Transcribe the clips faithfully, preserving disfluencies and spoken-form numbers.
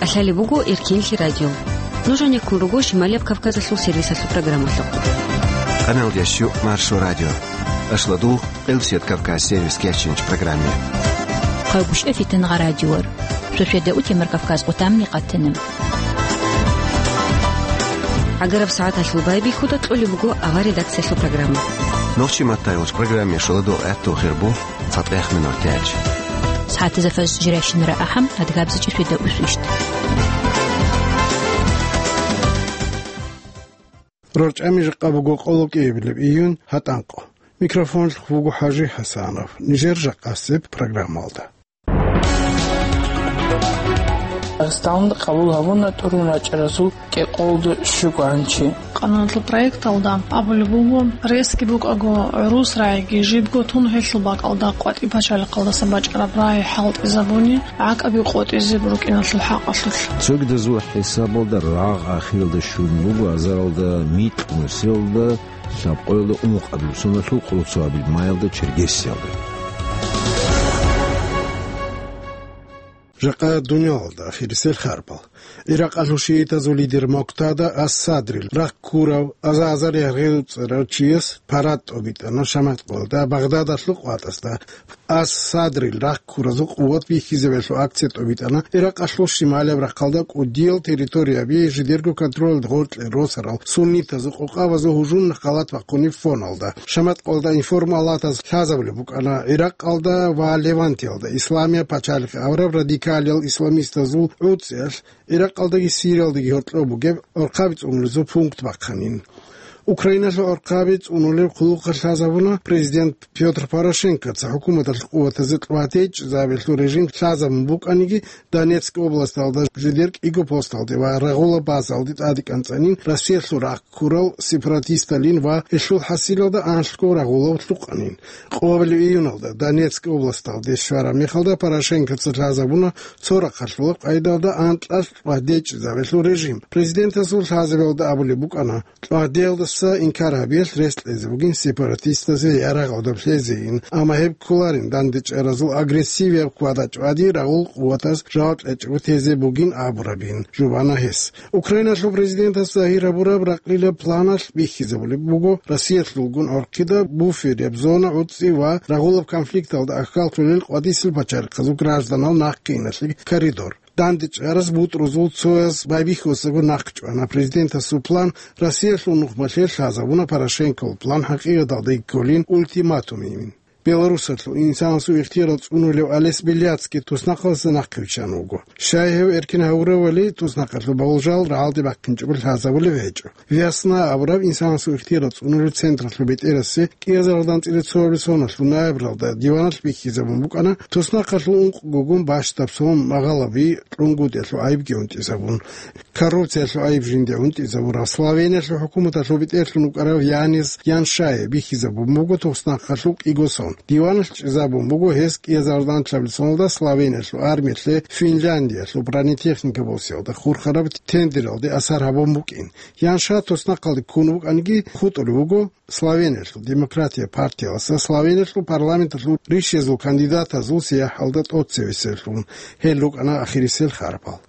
КӀалъалеб буго Эркинлъи радио. Нуж гьанеккун руго Шималияб Кавказалъул сервисалъул программалъухъ. Къаналдияс щук Маршо радио. Ашладугъ Къилсият Кавказ сервис кечинч программе. Хъайгуща фитангъа радиор. Шошеда утемар Кавказ къутамни къаттана. ГӀагараб сагӀаталъул байбихьуда кьолеб буго авар редакциялъул программа. Нохчи маттайгъуч программе шоладо гӀатту хирбу. ЦатӀехъ минор тяч. СагӀатазда фаз жирайщинара ахӀам, адгабзичӀи шведа усвищт. РорчӀами жакъа буго къоло кӀиабилеб июнь, гьатӀанкъо. Микрофонлъухъ вуго ХӀажи ХӀасанов. Нижер жакъасеб программалда. Дагъистаналда къабул гьабуна тӀурун рачӀаразул кӀикъолда щугоанчи. Къаналъул проекталда абулеб буго, ресги букӀаго гӀурус рагӀиги жибго тун гьелъул бакӀалда къватӀиб пачалихъалдаса бачӀараб рагӀи хӀалтӀизабуни, гӀакӀаби къотӀизе букӀиналъул хӀакъалъулъ. Цогидазул хӀисабалда рагъ ахиралда щун буго азаралда микь нусиялда, лъабкъоялда ункъабилеб соналъул къоло цоабилеб майалда Черкесиялда. Жакъа дуниялалда ахирисел харпал. Иракъалъул шиитазул лидер Муктада ас-Садрил рахъ ккурав, аза-азар яргъел цӀерав чияс парад тӀобитӀана шамат къоялда Багъдадалъул къватӀасда. Ас-Садрил рахъ ккуразул къуват бихьизабиялъул акция тӀобитӀана Иракъалъул шималияб рахъалда кӀудиял территорияби жидерго контролалда гъоркье росарал суннитазул къокъабазул гьужумалъ халат бахъунеб фоналда. Шамат къоялда информалатаз лъазабулеб букӀана, Иракъалда ва Левантиялда исламияб пачалихъ авараб радикалиял исламистазул гӀуцӀиялъ Иракъалдаги Сириялдаги гьоркьоб бугеб гӀорхъаби цӀунулезул пункт бахъанин. Украиналъул гӀорхъаби цӀунулеб хъулухъалъ лъазабуна президент Пётр Порошенкоца хӀукуматалъ къуватазе кьватечӀезабиялъул режим лъазабун букӀаниги, Донецк областалда жидер кӀиго посталде ва рагъулаб базалде тӀаде кӀанцӀанин Россиялъул рахъ ккурал сепаратисталин ва гьелъул хӀасилалда анлъго рагъулав лъукъанин. Къоабилеб июналда Донецк областалде щвараб мехалда Порошенкоца лъазабуна цо рахъалъулаб къайдалда анкьалъ кьватечӀезабиялъул режим. Президентасул лъазабиялда абулеб букӀана, кьватеялдаса инкар гьабиялъ рес кьезе бугин сепаратистазе я рагъалда лъезейин, амма гьеб кколарин дандечӀаразул агрессивияб квада-чӀвади рагъул къуватаз жаваб кьечӀого тезе бугин абурабин, жубана гьес. Украиналъул президентас загьир гьабураб ракълилаб планалъ бихьизабулеб буго Россиялъулгун гӀорхъида буферяб зона гӀуцӀи ва рагъулаб конфликталда ахьаллъулел къватӀисел пачалихъазул гражданал нахъиналъе коридор. ДандечӀараз бутӀрузул цояз байбихьусаго нахъчӀвана. Президентасул план Россиялъул нухмалъе лъазабуна, Порошенковул план хӀакъикъаталда кколин ультиматумин. Беларусалъул инсанасул ихтияр цӀунулев Олесь Беляцкий туснахъалдаса нахъе виччан вуго. Щай гьев эркин гьавуравали, туснахъалъул болжал рагӀалде бахъинчӀого лъазабулеб гьечӀо. Весна абураб инсанасул ихтияр цӀунулев централъул бетӀерасе кӀиазаралда анцӀила цоабилеб соналъул ноябралда диваналъ бихьизабун букӀана, туснахъалъул ункъго гун бащдаб сон магъалаби кьунгутӀиялъул гӀайибги унтӀизабун. Коррупциялъул гӀайиб жинде унтӀизабураб Словениялъул хӀукуматалъул бетӀерлъун вукӀарав Янис Яншае бихьизабун буго туснахъалъул кӀиго сон. Диваналъ чӀезабун буго гьес кӀиазаралда анлъабилеб соналда Словениялъул армиялъе Финляндиялъул бронетехника босиялда хурхараб тендералде асар гьабун букӀин. Янша туснахъалде ккун вукӀаниги хутӀулев вуго Словениялъул демократия партиялдаса Словениялъул парламенталъул ришазул кандидатазул сияхӀалда тӀоцевесевлъун. Гьел рукӀана ахирисел харпал.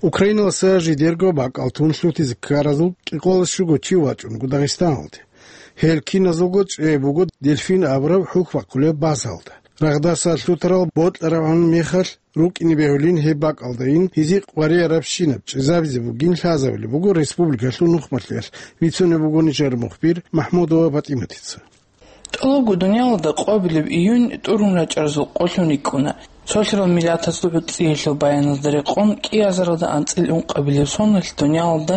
Украиналдаса жидерго бакӀал тун лъутизе ккаразул кӀикъоялда щуго чи вачӀунго Дагъистаналде. Гьел киназулго чӀей буго Дельфин абураб хӀухь бахъулеб базалда. Рагъдаса лъутарал бокьарабгӀан мехалъ рукӀине бегьулин гьеб бакӀалдайин гьезие къваригӀарабщинаб чӀезабизе бугин лъазабулеб буго республикалъул нухмалъиялъ, бицунеб буго нижер мухбир МахӀмудова ПатӀиматица. ТӀолабго дуниялалда къоабилеб июнь тӀурун рачӀаразул къолъун рикӀкӀуна. Цолъарал миллатазул гӀуцӀиялъул баяналда рекъон, кӀиазаралда анцӀила ункъабилеб соналъ дуниялалда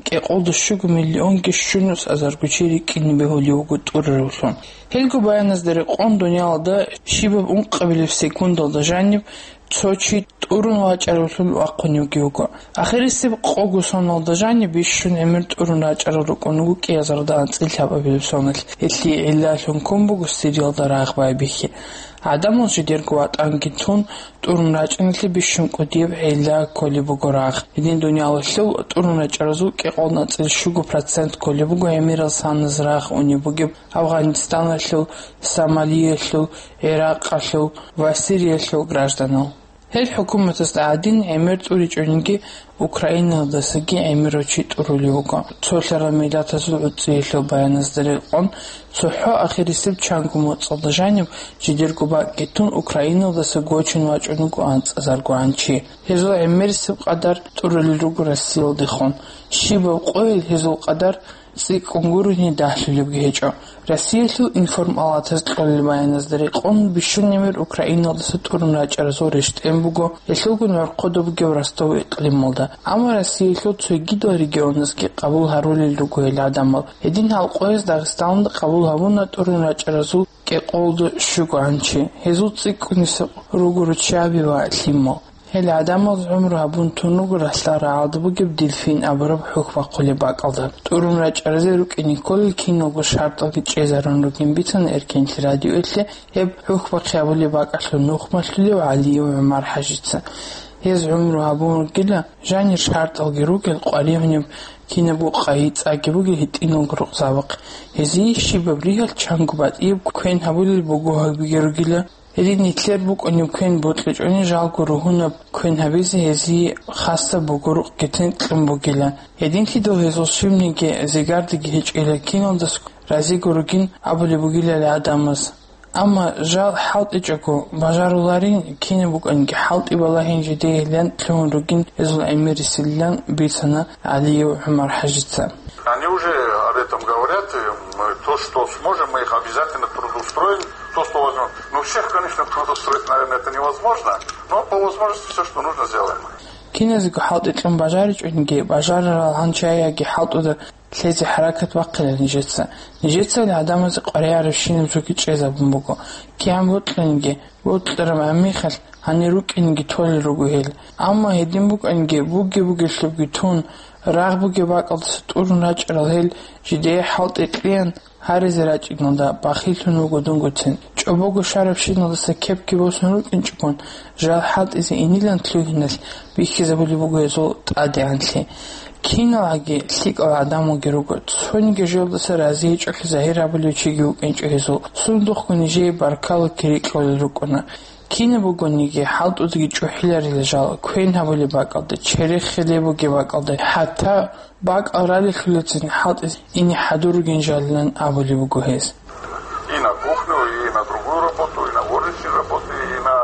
кӀикъолда щуго миллионги щунус азарго чи рикӀкӀине бегьулев вуго тӀураравлъун. Гьелго баяназда рекъон дуниялалда щибаб ункъабилеб секундалда жаниб цо чи тӀурун вачӀаравлъун вахъуневги вуго. Ахирисеб къого соналда жаниб бищун гӀемер тӀурун рачӀарал рукӀун вуго кӀиазарда анцӀила лъабабилеб соналъ. Гьелъие гӀиллалъун ккун буго Сириялда рагъ байбихьи. ГӀадамал жидерго ватӀанги тун, тӀурун рачӀиналъе бищун кӀудияб гӀилла кколеб буго рагъ. Гьедин дуниялалъул тӀурун рачӀаразул кӀикъоялда анцӀила щуго процент кколеб буго гӀемерал саназ рагъ унеб бугеб Афганистаналъул, Сомалиялъул, ГӀиракъалъул ва Сириялъул гражданал. Гьел хӀукуматазда гӀадин гӀемер тӀуричӀониги, Украиналдасаги гӀемерав чи тӀурулев вуго. Цолъарал миллатазул гӀуцӀиялъул баяназда рекъон, цохӀо ахирисеб чанго моцӀалда жаниб жидерго бакӀги тун Украиналдаса гочун вачӀун вуго анцӀазаргогӀан чи. Гьезул гӀемерисеб къадар тӀурулел руго Россиялдехун. Щибаб къойил гьезул къадар цӀикӀкӀун гурони дагьлъулебги гьечӀо. Россиялъул информалатаз кьолел баяназда рекъон, бищун гӀемер Украиналдаса тӀурун рачӀаразул рещтӀен буго гьелъулгун гӀорхъуда бугеб Ростов икълималда. Амма Россиялъул цогидал регионазги къабул гьарулел руго гьел гӀадамал. Гьедин гьал къояз Дагъистаналда къабул гьабуна тӀурун рачӀаразул кӀикъоялда щугогӀан чи. Гьезул цӀикӀкӀунесеб руго руччаби ва лъимал. Гьел гӀадамаз гӀумру гьабун тун руго ралъдал рагӀалда бугеб Дельфин абураб хӀухь бахъулеб бакӀалда. ТӀурун рачӀаразе рукӀине кколел киналго шартӀалги чӀезарун ругин бицана Эркенлъи радиоялъе гьеб хӀухь бахъи гьабулеб бакӀалъул нух малъулев ГӀалиев ГӀумар-хӀажица. Гьез гӀумру гьабун ругила, жанир шартӀалги ругел къваригӀунеб кинабго къайи цӀаги бугел гьитӀиналго рукъзабахъ. Гьезие щибаб ригьалъ чанго батӀияб квен гьабулел бугоги ругила. Гьедин нилъер букӀунеб квен бокьичӀони жалго ругьунаб квен гьабизе гьезие хасаб буго рукъги тӀинкьун бугила. Гьединлъидал гьезул щибниги зигардаги гьечӀила, киналдас разиго ругин абулеб бугилали гӀадамаз. Амма жал хӀалтӀичӀого бажаруларин, кинаб букӀанги хӀалтӀи балагьин жидеялъан лъугьун ругин гьезул гӀемерисилан бицана ГӀалиев ГӀумар-хӀажица. Они уже об этом говорят, и мы то, что сможем, мы их обязательно трудоустроим, то, что возможно. Ну, всех, конечно, трудоустроить, наверное, это невозможно, но по возможности все, что нужно, сделаем. Киназего хӀалтӀи кьун бажаричӀониги, бажарарал гьанчаяги хӀалтӀуда лъезе хӀаракат бахъила нижеца. Нижецали гӀадамазе къваригӀарабщинаб жоги чӀезабун буго. КигӀан бокьаниги, бокьараб гӀемерихъалъ гьанир рукӀинеги толел руго гьел. Амма гьедин букӀаниги, буги-бугелъубги тун, рагъ бугеб бакӀалдаса тӀурун рачӀарал гьел жидее хӀалтӀи кьеян гьаризе рачӀиналда бахиллъун вуго дунгоцин. ЧӀобого щварабщиналдаса кепги босун рукӀинчӀогон, жал хӀалтӀизе инилан лъугьиналъ бихьизабулеб буго гьезул тӀадегӀанлъи. Киналги лъикӀал гӀадамалги руго, цониги жоялдаса разигьичӀолъи загьир гьабулев чиги вукӀинчӀо гьезул. Сундухъго нижее баркала кири кьолел рукӀуна. Кинаб бугониги, хӀалтӀудги чӀухӀиларила жал, квен гьабулеб бакӀалда, черехизе бугеб бакӀалда, хӀатта бакӀал ралелъулецин хӀалтӀизе ине хӀадур ругин жалилан абулеб буго гьез. И на кухню, и на другую работу, и на горничную работу, и на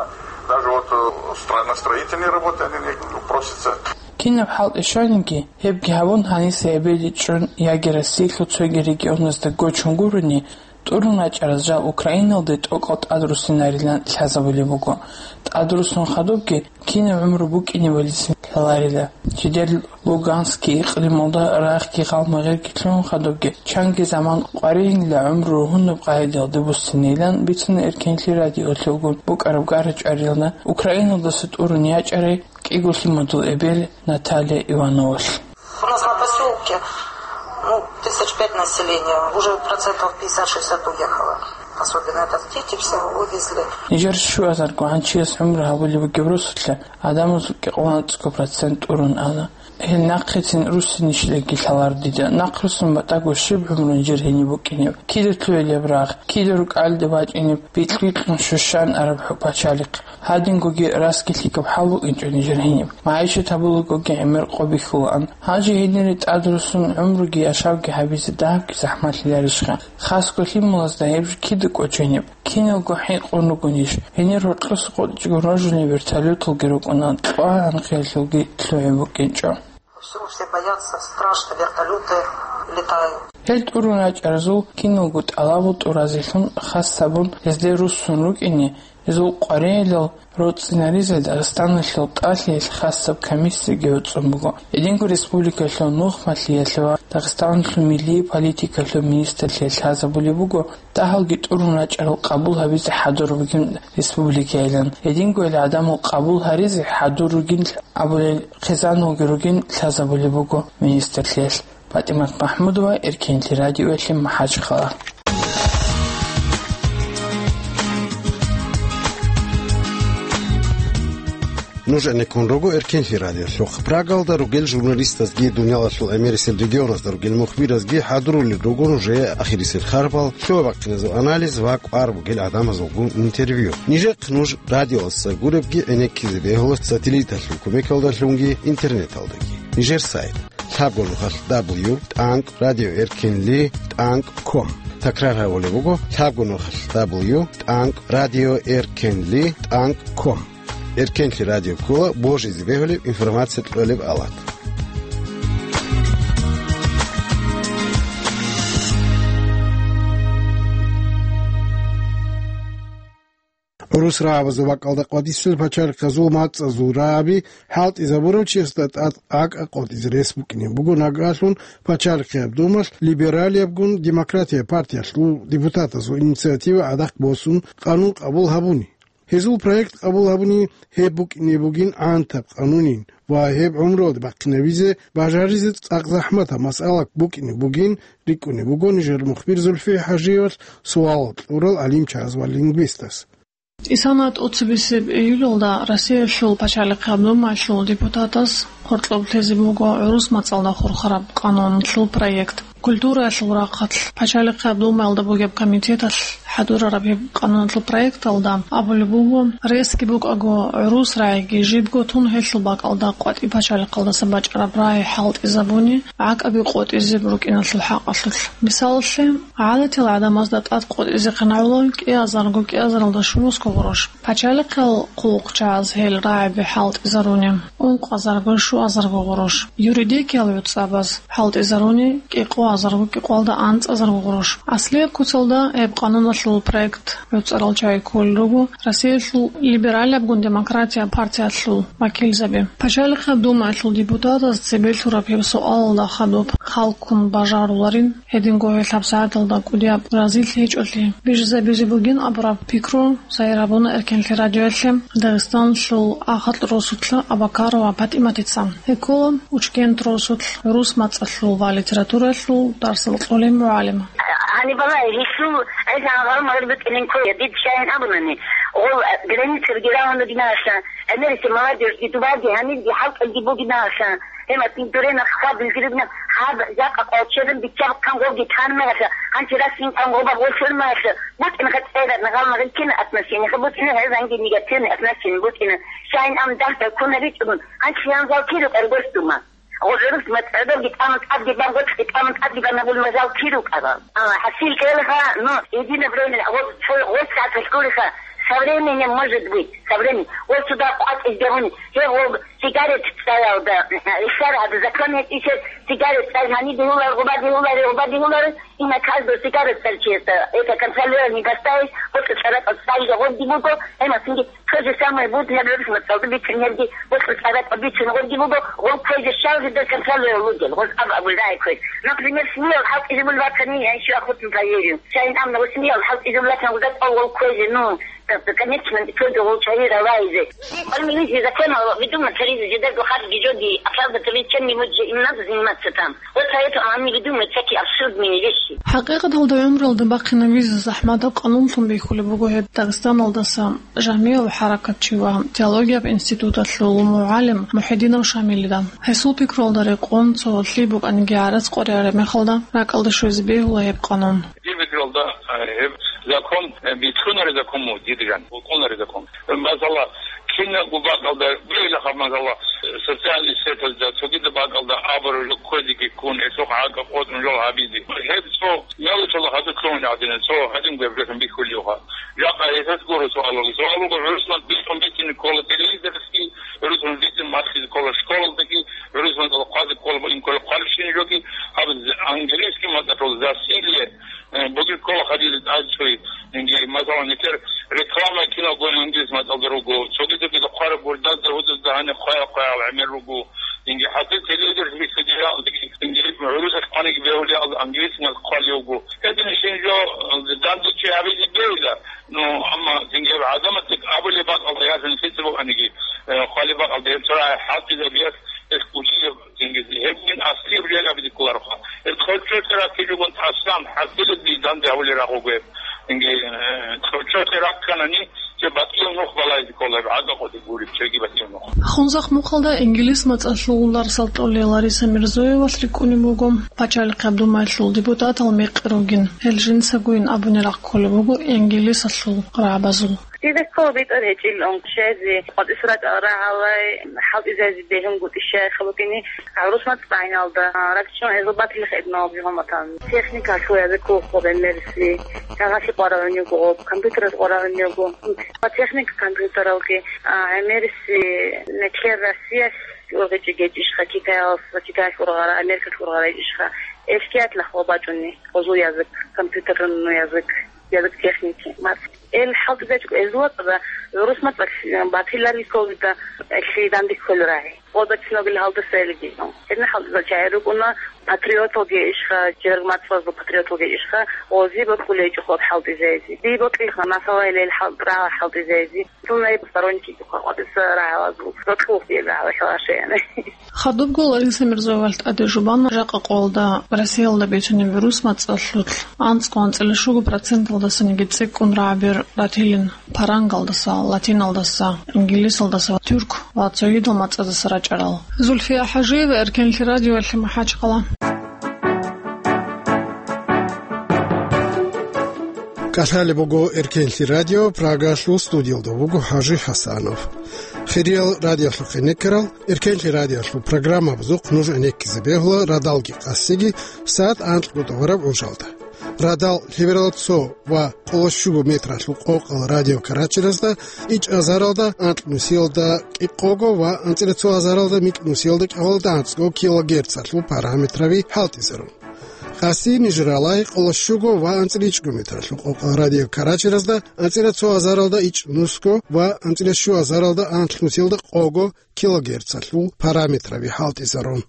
даже вот, э, стро-, на строительные работы они не просятся. Кинаб хӀалтӀи щваниги, гьебги гьабун, гьаниса эбелги чӀун яги Россиялъул цоги регионазда гочун гурони, тӀурун рачӀараз жал Украиналде тӀокӀал тӀадруссинарилан лъазабулеб буго. ТӀадрусун хадубги кинаб гӀумру букӀинебалицин лъаларила. Жидер Луганский икълималда рагъги гъалмагъирги лъугьун хадубги, чанги заман къваригӀунила гӀумру ругьунаб къагӀидаялде буссинилан бицана Эркенлъи радиолъулгун букӀараб гара-чӀвариялда Украиналдаса тӀурун ячӀарай кӀиго лъимадул эбел Наталья Ивановалъ. У нас на поселке, ну, тысяч пять населения, уже процентов пятьдесят-шестьдесят уехало. Особенно это дети все вывезли. Нижер щуазарго гӀанчияс гӀумру гьабулеб бугеб росулъа гӀадамазул кӀикъоялда анцӀго процент тӀурун ана. Гьел нахъецин руссинищилаги лъалар дида. Нахъруссун батӀаго щиб гӀумру нижер гьениб букӀинеб? Кида лъугьинеб рагъ, кида рукӀалде бачӀинеб бикьбикьун щущан араб хӀу-, пачалихъ? Гьадингоги расги лъикӀаб хӀал букӀинчӀо нижер гьениб. МагӀишат гьабулагоги гӀемер къо бихьулаан. Гьанже гьенире тӀадруссун гӀумруги яшавги гьабизе дагьабги захӀмалъиларищха? Хасго лъималазда гьеб жо кида кӀоченеб? Киналго хӀинкъун ругонищ? Гьенир гьоркьоса къотӀичӀого рожулин вертолёталги рукӀуна, кьвагӀанхъиялъулги лъугӀи букӀинчӀо. Все, все боятся, страшно, вертолёты. Гьел тӀурун рачӀаразул киналго тӀалабал тӀуразелъун хас гьабун гьезде руссун рукӀине, гьезул къваригӀелал роцӀцӀинаризе Дагъистаналъул тӀалъиялъ хасаб комиссияги гӀуцӀун буго. Гьединго республикалъул нухмалъиялъе ва Дагъистаналъул миллие политикалъул министрлъиялъ лъазабулеб буго дагьалги тӀурун рачӀарал къабул гьабизе хӀадур бугин республикайилан. Гьединго гьел гӀадамал къабул гьаризе хӀадур ругин абулел хъизаналги ругин лъазабулеб буго министрлъиялъ. ПатӀимат МахӀмудова, Эркенлъи радиоялъе МахӀачхъала. Нуж гӀенеккун руго Эркенлъи радиолъухъ. Прагалда ругел журналистазги, дуниялалъул гӀемерисел регионазда ругел мухбиразги хӀадурулел руго нужее ахирисел харбал, лъугьа-бахъиназул анализ ва кӀвар бугел гӀадамазулгун интервью. Нижехъ нуж радиоялдаса гуребги гӀенеккизе бегьула сателлиталъул кумекалдалъунги интернеталдаги. Нижер сайт: лъабго нухалъ дабл ю тӀанкӀ радио эркенли тӀанкӀ ком. Такрар гьабулеб буго: лъабго нухалъ дабл ю тӀанкӀ радио эркенли тӀанкӀ ком. Эркенлъи радио ккола божизе бегьулеб информация кьолеб алат. ГӀурус рагӀабазул бакӀалда къватӀисел пачалихъазул мацӀазул рагӀаби хӀалтӀизабурав чиясда тӀад гӀакӀа къотӀизе рес букӀине буго нагагьлъун Пачалихъияб Думалъ либералиябгун Демократия партиялъул депутатазул инициатива гӀадахъ босун къанун къабул гьабуни. Гьезул проект къабул гьабуни гьеб букӀине бугин гӀантаб къанунин ва гьеб гӀумруялде бахъинабизе бажаризе цӀакъ захӀматаб масъала букӀине бугин рикӀкӀунеб буго нижер мухбир Зульфи ХӀажиевалъ суалал кьурал гӀалимчагӀаз ва лингвистаз. Исана тӀоцебесеб июлалда Россиялъул Пачалихъияб Думаялъул депутатаз хъоркьоб лъезе буго гӀурус мацӀалда хурхараб къануналъул проект. Культураялъул рахъалъ Пачалихъияб Думаялда бугеб комитеталъ хӀадурараб гьеб къануналъул проекталда абулеб буго, ресги букӀаго, гӀурус рагӀиги жибго тун гьелъул бакӀалда къватӀи пачалихъалдаса бачӀараб рагӀи хӀалтӀизабуни, гӀакӀаби къотӀизе букӀиналъул хӀакъалъулъ. Мисалалъе, гӀадатил гӀадамазда тӀад къотӀизехъин гӀоло кӀиазарго-кӀиазаралда щуразго гъурущ, пачалихъал хъулухъчагӀаз гьел рагӀаби хӀалтӀизаруни, ункъазарго-щуазарго гъурущ, юридикиял гӀуцӀабаз хӀалтӀизаруни, кӀикъоазарго-кӀикъоялда анцӀазарго гъурущ. Аслияб куцалда гьеб къануналъул проект гӀуцӀарал чагӀи кколел руго Россиялъул либералиябгун Демократия партиялъул вакилзаби. Пачалихъаб Думаялъул депутатаз цебе лъураб гьеб суалалда хадуб халккун бажаруларин. Гьединго гьел гьабсагӀаталда кӀудияб разилъи гьечӀолъи бижизабизе бугин абураб пикру сайрабуна Эркенлъи радиоялъе Дагъистаналъул АхатӀ росулъа Абакарова ПатӀиматица. Гьеккола Учкент росулъ гӀурус мацӀалъул ва литературалъул дарсал кьолел мугӀалим. Гьаниб балагье, гьелъул гӀезегӀан гъалмагъ букӀинин ккола, дид щайин абунани, гъол границаги рагьун ругиналъа, гӀемерисеб молодёжьги дубарги гьанибги хӀалтӀулги бугиналъа, гьематни дурена хабилги ругина, гьаб жакъа къвалчерун биччаб хъан гъоги тан мегьалъа, гьанчи расин хъан гъоба гъолъур мегьалъа, букӀин гъа цӀерад гъалмагъ кина отношениеха букӀина, гьезанги негативный отношение букӀина. Щайин ам дагьда ккуна ричӀун, гьанчи янзал киру къергош дума. ГъургӀурус мацӀгӀодорги тӀамун тӀадги бан, гъоркьги тӀамун тӀадги бан абун мазал киру къарал. А, хӀасил кӀелха, ну, единое время, вот, цо-, вот сагӀат гьалъулиха, со временем может быть, со временем. Вот сюда къватӀизе гьуни, гьев гъоб сигарет цӀаялда, исар гьаб закон гьечӀищел сигарет цӀай гьани дигьулар, гъуба дигьулар, гъуба дигьулар, и на каждого сигарет цӀарчиясда, это контролирование поставить, вот цӀаракъал цӀайги гъобги буго, гьемасунги То же самое будет, например, вот колдуй бицин гьебги, вот вот ара бицин гъорги буго, гъол квезе щал жида контролер лугел, гъол аб абулдай квез. Например, смел халкъ изибул ватани, я ещё охотно проверю. Чай нам на смел халкъ изибул ватан гъуда гъол квезе, ну, так, конечно, квезе гъол чай равайзе. Армилизи закон видума таризи жида гохар гижоди, оправдать чем-нибудь же им надо заниматься там. Вот поэтому они выдумывают всякие абсурдные вещи. ХӀакъикъаталда гӀумралда бахъинабизе захӀматаб къанунлъун бихьулеб буго гьеб Дагъистаналдаса жамигӀав хӀаракатчи ва теологияб институталъул мугӀалим МухӀидинов Шамилида. Гьесул пикруялда рекъон цо лъи букӀаниги гӀарац къваригӀараб мехалда ракӀалде щвезе бегьула гьеб къанун. Дир пикруялда, э, гьеб закон, э, бицунареб закон мун, дир ган, букӀунареб закон. Масала, кинабго бакӀалда, бугелахъа, масала, социальный сеталда, цогидаб бакӀалда абураб жо кквезеги ккун, гьелъухъ гӀакӀа къотӀун жо гьабизе. Гьеб цо мелочалда хадур лъугьун гӀадина, цо гьадин гвебжехун бихьулевха. Жакъа гьесас гуро суалуги. Суалуги гӀурусман бицун бицин ккола телевизорги, гӀурусман бицин махъизе ккола школалдаги, гӀурусман ккола хъвазе ккола ин ккола хъварщин жоги, аб англи Дагьани хъваял-хъваял гӀемер руго. Инги хӀатӀе телевизор федерал, инги гӀурусалъ хъваниги бегьулел англисмал хъвали вуго. Гьедин ишин жо данде чи гьабизе бегьила. Ну, амма инги гӀадамаздек абулеб бакӀалда ясани лъица букӀаниги, э, хъвали бакӀалда гьеб цо рагӀи хӀалтӀизабиялъ гьес кучӀизе инги гьеб мин аслияб жо абизе кколароха. Гьеб цо-цо ракки жугун тӀасан хӀалтӀизаби данде гьавулел рагъ вуго гьеб. Инги, э, цо-цо ракканани, Че батӀиял нух балайзе ккола, гӀада къоди гуреб, чеги батӀиял нух. Хунзахъ мухъалда инглис мацӀалъул дарсал кьолел Лариса Мирзоевалъ рикӀкӀунеб буго, пачалихъ ГӀабдумаялъул депутатал мекъи ругин, гьел жинцагойин абуни рахъ кколеб буго инглисалъул рагӀабазул. Дида ккола битӀар гьечӀил он щвезе, къватӀисра рагӀалай, хӀалтӀизазе бегьунгутӀи щай хабукӀини, гӀурус мацӀ къайналда, ракчун гӀезул батилихъ эбнал бигьуматан. Техникалъул языкул хъубе мерси, кагъалъи къварагӀун йуго, компьютераз къварагӀун йуго. Ва техника компьютералги, а, гӀемериси, неклъер Россиялъ ургъичӀи гечӀищха, Китаялъ, Китаялъ ургъара, Америкалъ ургъара гечӀищха, эшкият лахъва бачӀуни, гъузул язык, компьютерный язык, язык техники, мас. Эл хӀалтӀизачӀого эзлуатӀа, гӀурус мацӀалъ батиларги кколида, лъидан бихьулел рагӀи. Къода киногил гьалдаса элги. Гьедин хӀалтӀизал чагӀи рукӀуна, патриоталги ишха, жираг мацӀазул патриоталги ишха, гъози бокьулей чӀухъад хӀалтӀизайзи. Ди бокьиха, масала, ил хӀал-, рагӀа хӀалтӀизайзи. Сунай сторонники къватӀиса рагӀалазул. Рокьулъ ил рагӀалахъалашаяна. Хадубго Лариса Мирзоевалъ тӀаде жубана жакъа къоялда Россиялда бицунеб гӀурус мацӀалъулъ анцӀго анцӀила щуго проценталдасаниги цӀикӀкӀун рагӀабир ратилин парангалдаса, латиналдаса, инглисалдаса, тюрк ва цогидал мацӀадаса рачӀарал. Зульфия ХӀажиева, Эркенлъи радиоялъе, МахӀачхъала. КӀалъалеб буго Эркенлъи радио, Прагалъул студиялда вуго ХӀажи ХӀасанов. Хириял радиолъухъе некерал, Эркенлъи радиолъул программабазухъ нуж гӀенеккизе бегьула радалги къасиги сагӀат анкьго тӀогъараб гӀужалда. Радал лъеберал цо ва къоло щуго метралъул къокъал радиокарачиразда ичӀ азаралда анкь нусиялда кӀикъого ва анцӀила цо азаралда микь нусиялда кӀикъоялда анцӀго килогерцалъул параметраби хӀалтӀизарун. Къаси нижералай къоло щуго ва анцӀила ичӀго метралъул къокъал радиокарачиразда анцӀила цо азаралда ичӀ нусго ва анцӀила щу азаралда анкь нусиялда къого килогерцалъул параметраби хӀалтӀизарун.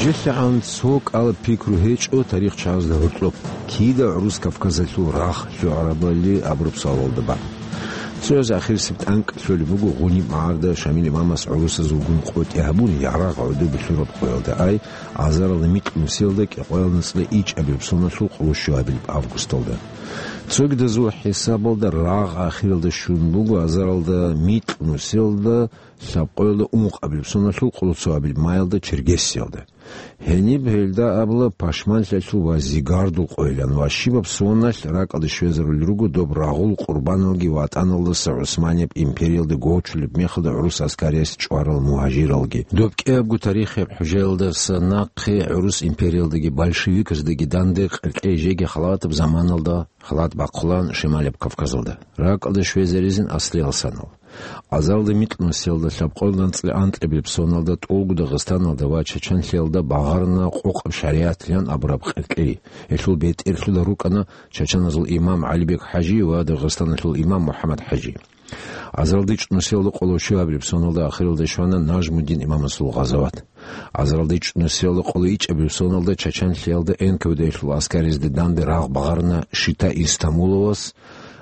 ГьанжелъагӀан цо кӀалаб пикру гьечӀо тарихчазда гьоркьоб, кида гӀурус Кавказалъул рагъ лъугӀарабали абураб суалалда бан. Цояз ахирисеб тӀанкӀ лъолеб буго Гъуниб магӀарда Шамил имамас гӀурусазулгун къотӀи гьабун, ярагъ гӀодобе лъураб къоялда ай, азаралда микь нусиялда кӀикъоялда анцӀила ичӀабилеб соналъул къоло щуабилеб августалда. Цогидазул хӀисабалда рагъ ахиралда щун буго азаралда микь нусиялда лъабкъоялда ункъабилеб соналъул къоло цоабилеб маялда Черкесиялда. Гьениб гьелда абула пашманлъиялъул ва зигардул къойилан ва щибаб соналъ ракӀалде щвезарулел руго доб рагъул къурбаналги ВатӀаналдаса ГӀусманияб империялда гочулеб мехалда гӀурус аскарияс чӀварал мугьажиралги. Доб кӀиябго тарихияб хӀужаялдаса нахъе гӀурус империялдаги большевикздаги данде къеркьей жеги халатаб заманалда халат бахъулан Шималияб Кавказалда. РакӀалде щвезаризин аслиял санал. Азаралда микь нусиялда лъабкъоялда анцӀила анкьабилеб соналда тӀолго Дагъистаналда ва Чачанлъиялда багъарна къокъаб шаригӀатлъан абураб къеркьей. Гьелъул бетӀерлъуда рукӀана чачаназул имам ГӀалибек ХӀажи ва Дагъистаналъул имам МухӀаммад ХӀажи. Азаралда ичӀ нусиялда къоло щуабилеб соналда ахиралда щвана Нажмуддин имамасул гъазават. Азаралда ичӀ нусиялда къоло ичӀабилеб соналда Чачанлъиялда Н К В Д-лъул аскаризде данде рагъ багъарна Шита Истамуловас,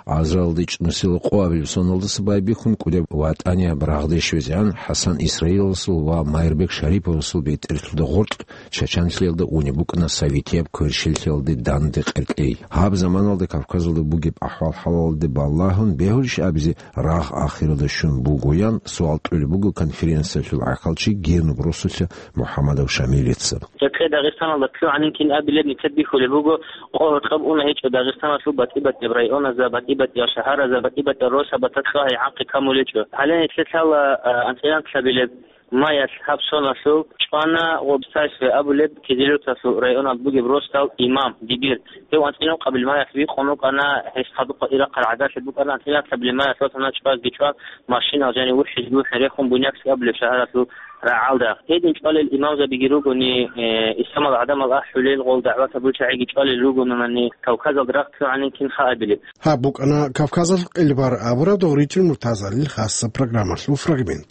азаралда ичӀ нусиялда къоабилеб соналдаса байбихьун кӀудияб ватӀанияб рагъде щвезегӀан ХӀасан Исраиловасул ва Майрбек Шариповасул бетӀерлъуда гъоркь Чачанлъиялда унеб букӀана советияб кверщеллъиялде данде къеркьей. Гьаб заманалда Кавказалда бугеб ахӀвал-хӀалалде балагьун бегьулищ абизе рагъ ахиралда щун бугоян суал кьолеб буго конференциялъул гӀахьалчи Генуб росулъа МухӀаммадов Шамилица. Гьеб Дагъистаналда лъугӀанин кин абилеб нилъер бихьулеб буго, къо гьоркьоб уна гьечӀо Дагъистаналъул батӀи-батӀияб районазда, батӀи-батӀияб шагьаразда, батӀи-батӀияб росабазда лъугӀай гӀакъи камулечӀо. Гьале нилъер лъала, а, анцӀила анкьабилеб маялъ гьаб соналъул чӀвана гъоб Сайфе абулеб Кизилюрталъул районалда бугеб росдал имам, дибир. Гьев анцӀила ункъабилеб маялъ вихъун вукӀана, гьес хадуб къватӀир рахъараб гӀадалъи букӀана, анцӀила анкьабилеб маялъ ватана чӀвазги чӀван, машинал жанив вухӀизги вухӀин рехун, Буйнакск абулеб шагьаралъул рагӀалда. Гьедин чӀвалел имамзабиги ругони, э, исламал гӀадамал ахӀулел гъол дагӀват гьабулел чагӀиги чӀвалел ругонани, Кавказалда рахъ ккогӀанин кин хабилеб. Гьаб букӀана Кавказалъул къилбар абураб Догъричил Муртазалил хасаб программалъул фрагмент.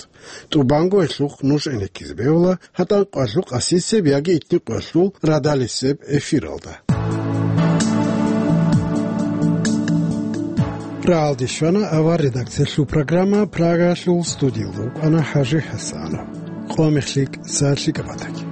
ТӀубанго гьелъухъ нуж гӀенеккизе бегьула гьатӀан къоялъул къасисеб яги итни къоялъул радалисеб эфиралда. РагӀалде щвана авар редакциялъул программа, Прагалъул студиялда вукӀана ХӀажи ХӀасанов. Къо мехлъи, сахлъи кӀабатаги.